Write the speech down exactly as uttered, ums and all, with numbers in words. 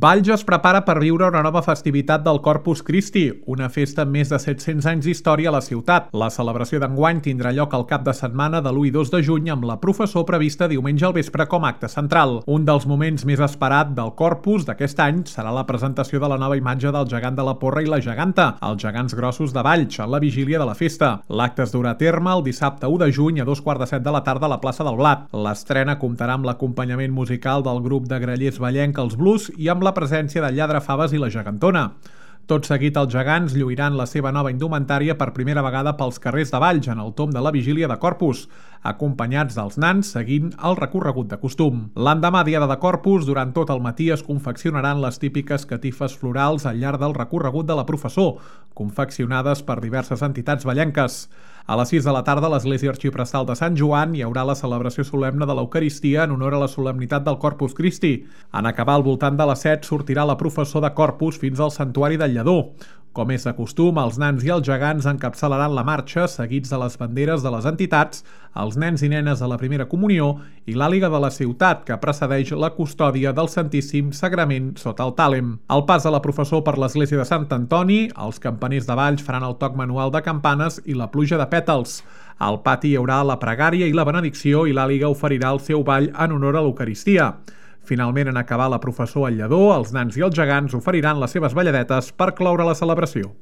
Valls es prepara per viure una nova festivitat del Corpus Christi, una festa amb més de set-cents anys d'història a la ciutat. La celebració d'enguany tindrà lloc al cap de setmana de l'u i dos de juny amb la professó prevista diumenge al vespre com a acte central. Un dels moments més esperat del Corpus d'aquest any serà la presentació de la nova imatge del gegant de la Porra i la geganta, els gegants grossos de Valls, en la vigília de la festa. L'acte es durà a terme el dissabte u de juny a dos quarts de set de la tarda a la plaça del Blat. L'estrena comptarà amb l'acompanyament musical del grup de grallers vallenc Els Blues i amb la presència del lladre Faves i la gegantona. Tot seguit, els gegants lluiran la seva nova indumentària per primera vegada pels carrers de Valls en el tomb de la vigília de Corpus, acompanyats dels nans seguint el recorregut de costum. L'endemà, diada de Corpus, durant tot el matí es confeccionaran les típiques catifes florals al llarg del recorregut de la professó, confeccionades per diverses entitats vallenques. A les sis de la tarda, a l'església arxiprestal de Sant Joan hi haurà la celebració solemne de l'Eucaristia en honor a la solemnitat del Corpus Christi. En acabar al voltant de les set sortirà la professó de Corpus fins al santuari del Lledó. Com és de costum, els nans i els gegants encapçalaran la marxa, seguits de les banderes de les entitats, els nens i nenes de la primera comunió i l'àliga de la ciutat, que precedeix la custòdia del Santíssim Sagrament sota el tàlem. Al pas de la professó per l'església de Sant Antoni, els campaners de Valls faran el toc manual de campanes i la pluja de pètals. Al pati hi haurà la pregària i la benedicció i l'àliga oferirà el seu ball en honor a l'Eucaristia. Finalment, en acabar la professó al Lledó, els nans i els gegants oferiran les seves balladetes per cloure la celebració.